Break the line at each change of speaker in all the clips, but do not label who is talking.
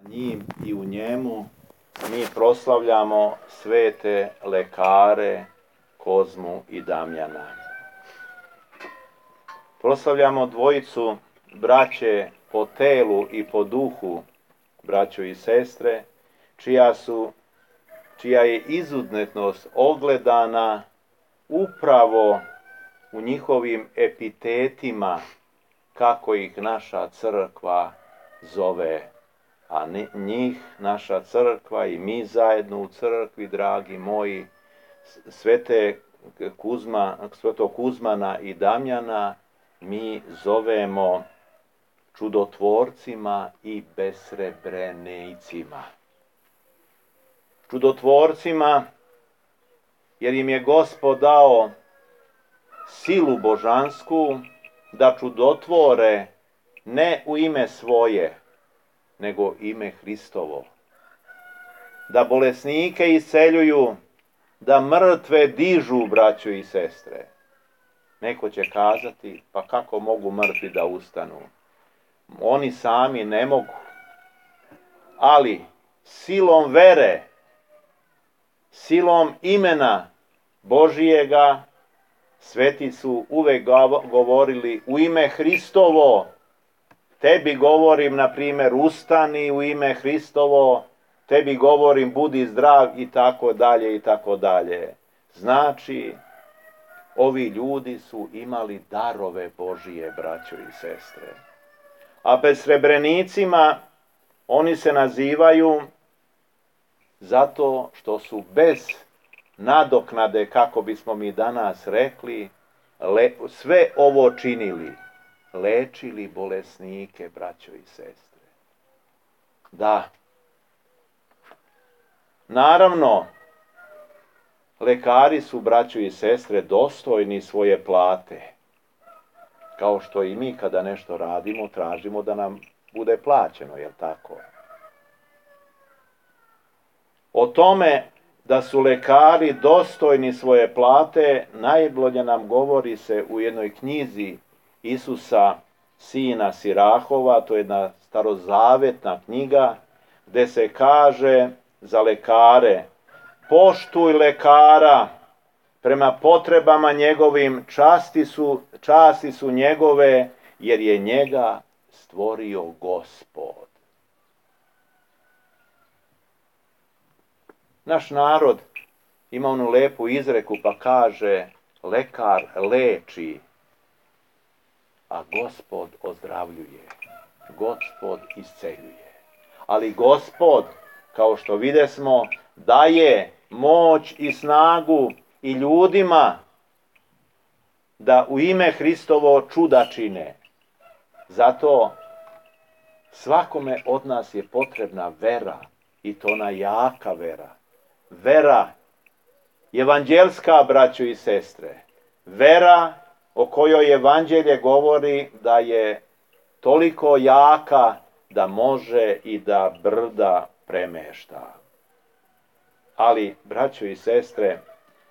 njim i u njemu mi proslavljamo svete lekare Kozmu i Damjana. Proslavljamo dvojicu braće po telu i po duhu, braćo i sestre, čija je izuzetnost ogledana upravo u njihovim epitetima, kako ih naša crkva zove. A njih, naša crkva i mi zajedno u crkvi, dragi moji, Svetog Kuzmana i Damjana, mi zovemo čudotvorcima i besrebrenejcima. Čudotvorcima, jer im je Gospod dao silu božansku da čudotvore ne u ime svoje, nego ime Hristovo. Da bolesnike isceljuju, da mrtve dižu, braćo i sestre. Neko će kazati, pa kako mogu mrtvi da ustanu? Oni sami ne mogu. Ali silom vere, silom imena Božijega, sveti su uvek govorili u ime Hristovo. Tebi govorim, na primjer, ustani u ime Hristovo, tebi govorim budi zdrav i tako dalje i tako dalje. Znači, ovi ljudi su imali darove Božije, braćo i sestre. A besrebrenicima oni se nazivaju zato što su bez nadoknade, kako bismo mi danas rekli, sve ovo činili. Lečili bolesnike, braćo i sestre. Da. Naravno, lekari su, braćo i sestre, dostojni svoje plate. Kao što i mi kada nešto radimo, tražimo da nam bude plaćeno, jel tako? O tome da su lekari dostojni svoje plate, najbolje nam govori se u jednoj knjizi Isusa, sina Sirahova, to je jedna starozavetna knjiga, gde se kaže za lekare: poštuj lekara prema potrebama njegovim, časti su njegove, jer je njega stvorio Gospod. Naš narod ima onu lepu izreku pa kaže: lekar leči, a Gospod ozdravljuje, Gospod isceljuje. Ali Gospod, kao što videsmo, daje moć i snagu i ljudima da u ime Hristovo čuda čine. Zato svakome od nas je potrebna vera, i to ona jaka vera. Vera evanđelska, braćo i sestre. Vera o kojoj evanđelje govori da je toliko jaka da može i da brda premešta. Ali, braćo i sestre,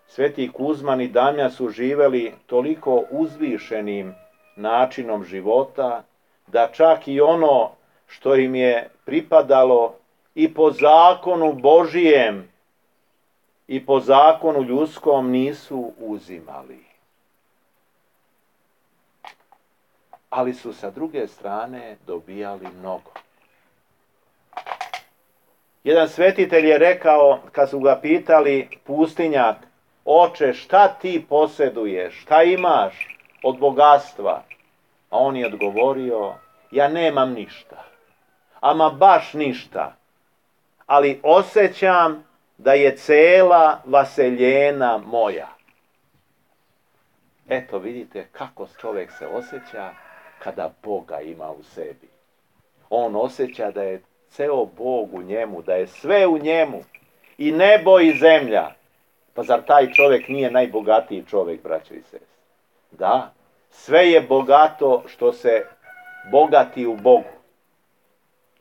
sveti Kuzman i Damjan su živeli toliko uzvišenim načinom života, da čak i ono što im je pripadalo i po zakonu Božijem i po zakonu ljudskom nisu uzimali. Ali su sa druge strane dobijali mnogo. Jedan svetitelj je rekao, kad su ga pitali, pustinjak: oče, šta ti posjeduješ, šta imaš od bogatstva? A on je odgovorio: ja nemam ništa, ama baš ništa, ali osjećam da je cela vaseljena moja. Eto, vidite kako čovjek se osjeća kada Boga ima u sebi. On osjeća da je ceo Bog u njemu, da je sve u njemu, i nebo i zemlja. Pa zar taj čovjek nije najbogatiji čovjek, braćo i sestre? Da, sve je bogato što se bogati u Bogu,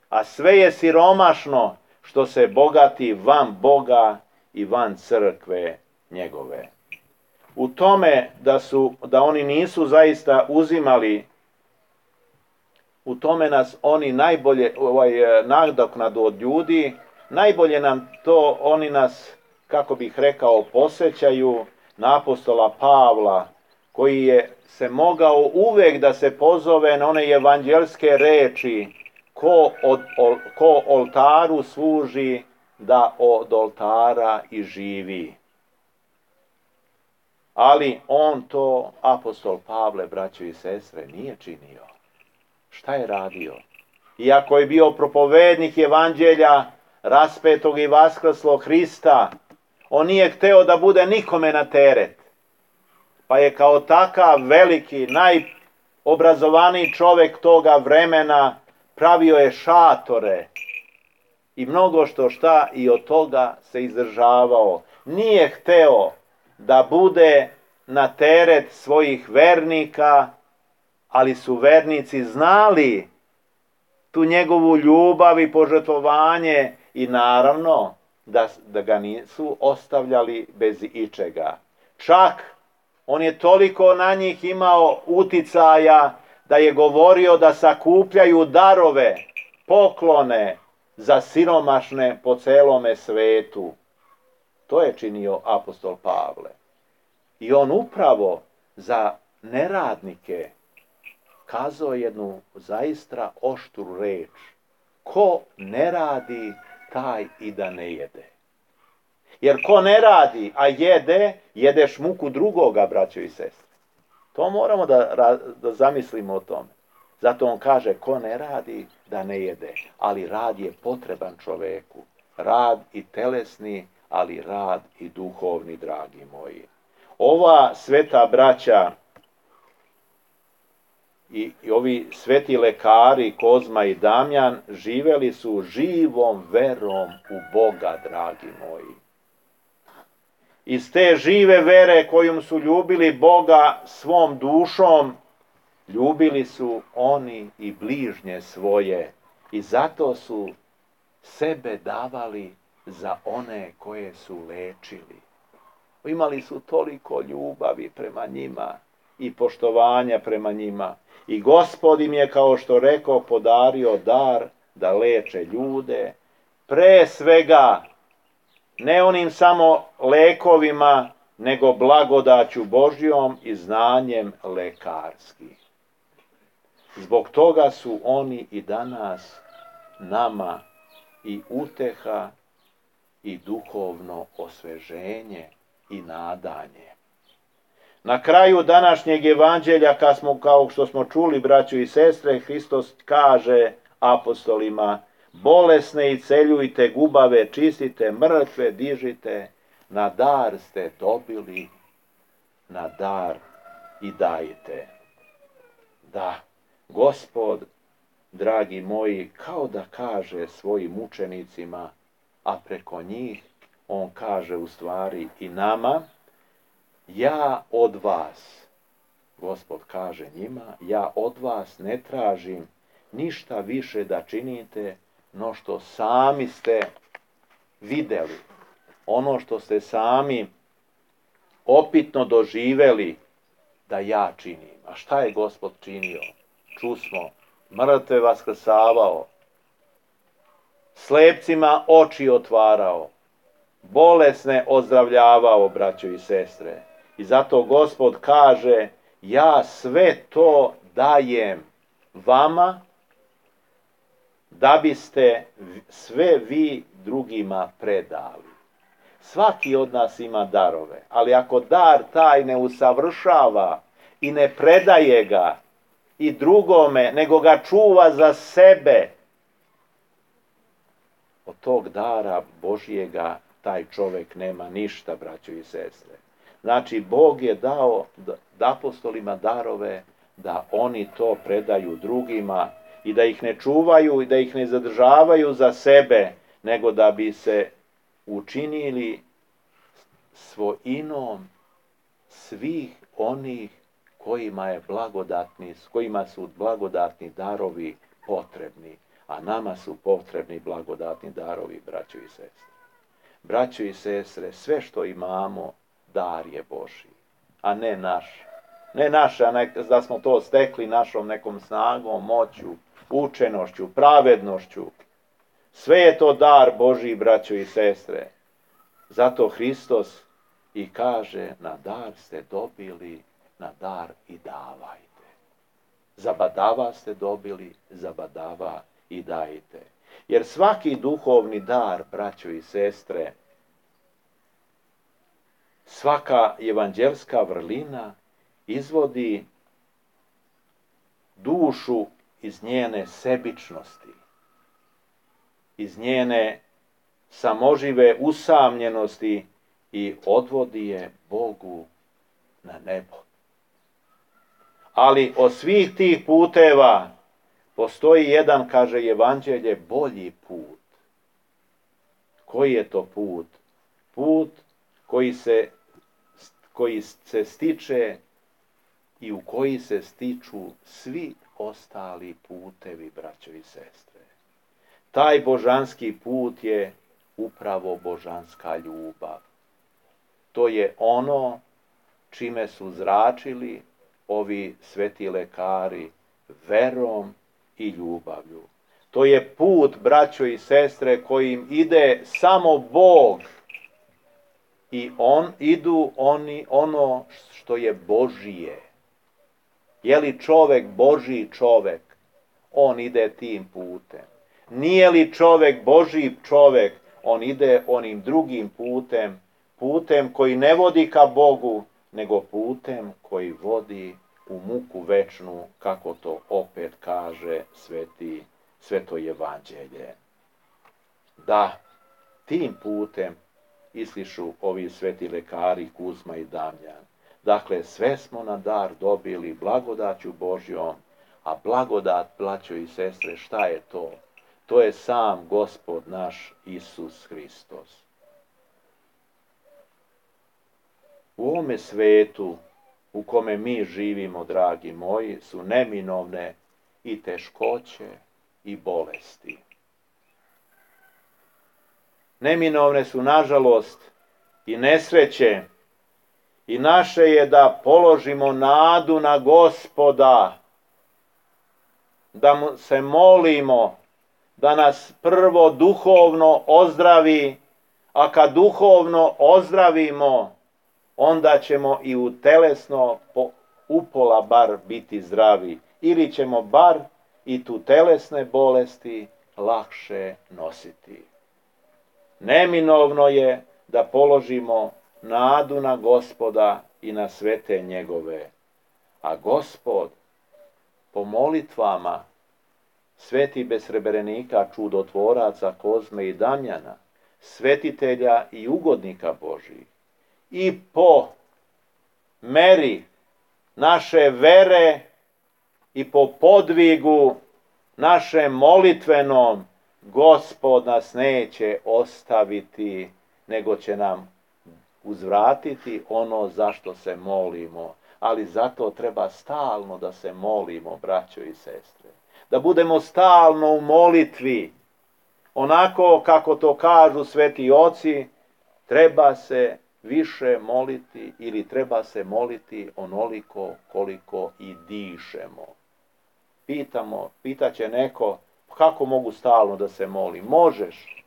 a sve je siromašno što se bogati van Boga i van crkve njegove. U tome da oni nisu zaista uzimali u tome nas oni najbolje nadoknadu od ljudi, najbolje nam to, oni nas, kako bih rekao, posjećaju na apostola Pavla, koji je se mogao uvek da se pozove na one evanđelske reči, ko oltaru služi, da od oltara i živi. Ali on to, apostol Pavle, braćo i sestre, nije činio. Šta je radio? Iako je bio propovednik evanđelja raspetog i vaskrslog Hrista, on nije hteo da bude nikome na teret. Pa je kao takav veliki, najobrazovaniji čovek toga vremena pravio je šatore i mnogo šta i od toga se izdržavao. Nije hteo da bude na teret svojih vernika, ali su vernici znali tu njegovu ljubav i požrtvovanje i naravno da ga nisu ostavljali bez ičega. Čak on je toliko na njih imao uticaja da je govorio da sakupljaju darove, poklone za siromašne po celome svetu. To je činio apostol Pavle. I on upravo za neradnike kazao jednu zaista oštru reč. Ko ne radi, taj i da ne jede. Jer ko ne radi, a jede, jedeš muku drugoga, braćo i sestre. To moramo da zamislimo o tome. Zato on kaže, ko ne radi, da ne jede. Ali rad je potreban čoveku. Rad i telesni, ali rad i duhovni, dragi moji. Ova sveta braća i ovi sveti lekari, Kozma i Damjan, živeli su živom verom u Boga, dragi moji. Iz te žive vere kojom su ljubili Boga svom dušom, ljubili su oni i bližnje svoje i zato su sebe davali za one koje su lečili. Imali su toliko ljubavi prema njima i poštovanja prema njima. I Gospod im je, kao što rekao, podario dar da leče ljude, pre svega ne onim samo lekovima, nego blagodaću Božjom i znanjem lekarskim. Zbog toga su oni i danas nama i uteha i duhovno osveženje i nadanje. Na kraju današnjeg evanđelja, kao što smo čuli, braćo i sestre, Hristos kaže apostolima, bolesne isceljujte, gubave čistite, mrtve dižite, na dar ste dobili, na dar i dajte. Da, Gospod, dragi moji, kao da kaže svojim učenicima, a preko njih on kaže u stvari i nama, ja od vas, Gospod kaže njima, ja od vas ne tražim ništa više da činite, no što sami ste videli, ono što ste sami opitno doživeli da ja činim. A šta je Gospod činio? Čusmo, mrtve vaskrsavao, slepcima oči otvarao, bolesne ozdravljavao, braćo i sestre. I zato Gospod kaže, ja sve to dajem vama, da biste sve vi drugima predali. Svaki od nas ima darove, ali ako dar taj ne usavršava i ne predaje ga i drugome, nego ga čuva za sebe, od tog dara Božjega taj čovek nema ništa, braćo i sestre. Znači, Bog je dao apostolima darove da oni to predaju drugima i da ih ne čuvaju i da ih ne zadržavaju za sebe, nego da bi se učinili svojinom svih onih kojima su blagodatni darovi potrebni, a nama su potrebni blagodatni darovi, braćo i sestre. Braćo i sestre, sve što imamo, dar je Božji, a ne naš. Ne naš, da smo to stekli našom nekom snagom, moću, učenošću, pravednošću. Sve je to dar Božji, braćo i sestre. Zato Hristos i kaže, na dar ste dobili, na dar i davajte. Zabadava ste dobili, zabadava i dajte. Jer svaki duhovni dar, braćo i sestre, svaka evanđelska vrlina izvodi dušu iz njene sebičnosti, iz njene samožive usamljenosti i odvodi je Bogu na nebo. Ali od svih tih puteva postoji jedan, kaže evanđelje, bolji put. Koji je to put? Put koji se stiče i u koji se stiču svi ostali putevi, braćo i sestre. Taj božanski put je upravo božanska ljubav. To je ono čime su zračili ovi sveti lekari, verom i ljubavlju. To je put, braćo i sestre, kojim ide samo Bog i idu ono što je Božije. Je li čovek Božji čovek, on ide tim putem. Nije li čovek Božji čovek, on ide onim drugim putem, putem koji ne vodi ka Bogu, nego putem koji vodi u muku večnu, kako to opet kaže sveto evanđelje. Da, tim putem islišu ovi sveti lekari Kuzma i Damjan. Dakle, sve smo na dar dobili blagodaću Božjom, a blagodat, braćo i sestre, šta je to? To je sam Gospod naš Isus Hristos. U ovome svetu u kome mi živimo, dragi moji, su neminovne i teškoće i bolesti. Neminovne su, nažalost, i nesreće, i naše je da položimo nadu na Gospoda, da mu se molimo, da nas prvo duhovno ozdravi, a kad duhovno ozdravimo, onda ćemo i u telesno upola bar biti zdravi, ili ćemo bar i tu telesne bolesti lakše nositi. Neminovno je da položimo nadu na Gospoda i na svete njegove, a Gospod po molitvama sveti besreberenika, čudotvoraca Kozme i Damjana, svetitelja i ugodnika Božih, i po meri naše vere i po podvigu našem molitvenom, Gospod nas neće ostaviti, nego će nam uzvratiti ono zašto se molimo. Ali zato treba stalno da se molimo, braćo i sestre. Da budemo stalno u molitvi. Onako kako to kažu sveti oci, treba se više moliti ili treba se moliti onoliko koliko i dišemo. Pitaće neko, kako mogu stalno da se molim? Možeš.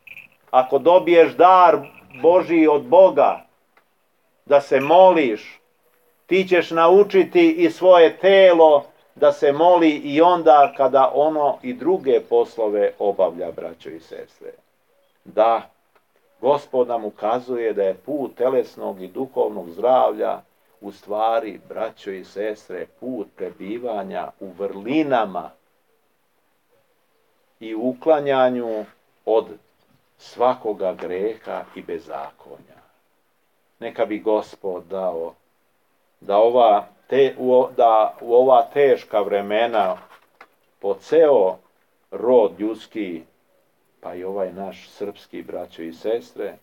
Ako dobiješ dar Božji od Boga, da se moliš, ti ćeš naučiti i svoje telo da se moli i onda kada ono i druge poslove obavlja, braćo i sestre. Da, Gospod nam ukazuje da je put telesnog i duhovnog zdravlja u stvari, braćo i sestre, put prebivanja u vrlinama i uklanjanju od svakoga greha i bezakonja. Neka bi Gospod dao da u ova teška vremena po ceo rod ljudski, pa i ovaj naš srpski, braćo i sestre,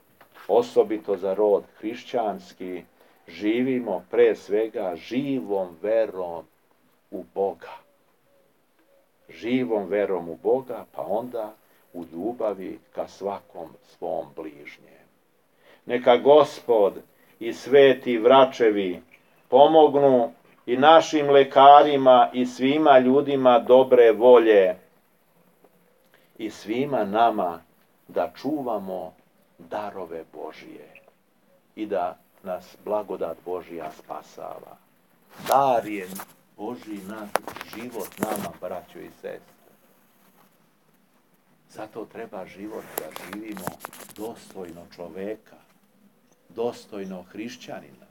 osobito za rod hrišćanski, živimo pre svega živom verom u Boga. Živom verom u Boga, pa onda u ljubavi ka svakom svom bližnjem. Neka Gospod i sveti vračevi pomognu i našim lekarima i svima ljudima dobre volje i svima nama da čuvamo darove Božije i da nas blagodat Božija spasava. Dar je Božji naš život nama, braćo i sestre. Zato treba život da živimo dostojno čoveka, dostojno hrišćanina,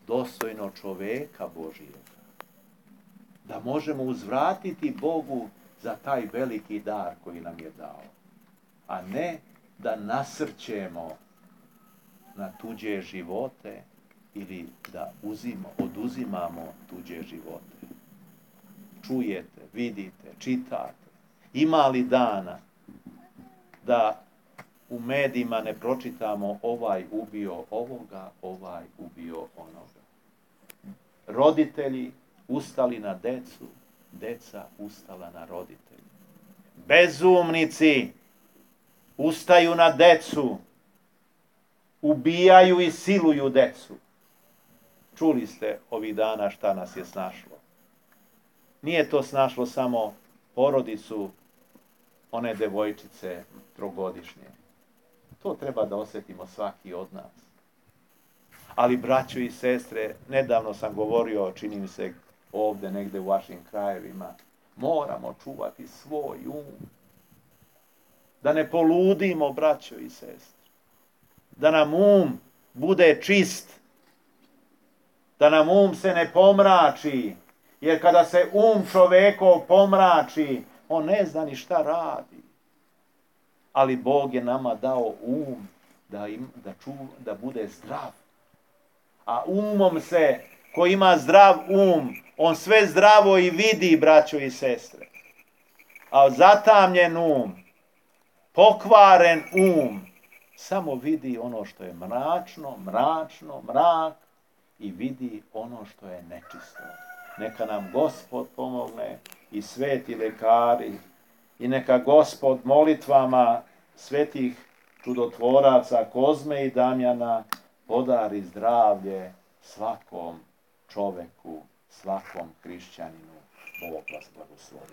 dostojno čoveka Božijega. Da možemo uzvratiti Bogu za taj veliki dar koji nam je dao. A ne da nasrćemo na tuđe živote ili da oduzimamo tuđe živote. Čujete, vidite, čitate. Ima li dana da u medijima ne pročitamo ovaj ubio ovoga, ovaj ubio onoga. Roditelji ustali na decu, deca ustala na roditelji. Bezumnici ustaju na decu, ubijaju i siluju decu. Čuli ste ovih dana šta nas je snašlo. Nije to snašlo samo porodicu one devojčice trogodišnje. To treba da osjetimo svaki od nas. Ali, braćo i sestre, nedavno sam govorio, čini mi se ovdje negdje u vašim krajevima, moramo čuvati svoj um. Da ne poludimo, braćo i sestre. Da nam um bude čist. Da nam um se ne pomrači. Jer kada se um čovekov pomrači, on ne zna ni šta radi. Ali Bog je nama dao um da bude zdrav. A umom se, ko ima zdrav um, on sve zdravo i vidi, braćo i sestre. A zatamljen um, pokvaren um, samo vidi ono što je mračno, mrak i vidi ono što je nečisto. Neka nam Gospod pomogne i sveti lekari i neka Gospod molitvama svetih čudotvoraca Kozme i Damjana podari zdravlje svakom čoveku, svakom hrišćaninu. Bog vas blagoslovi.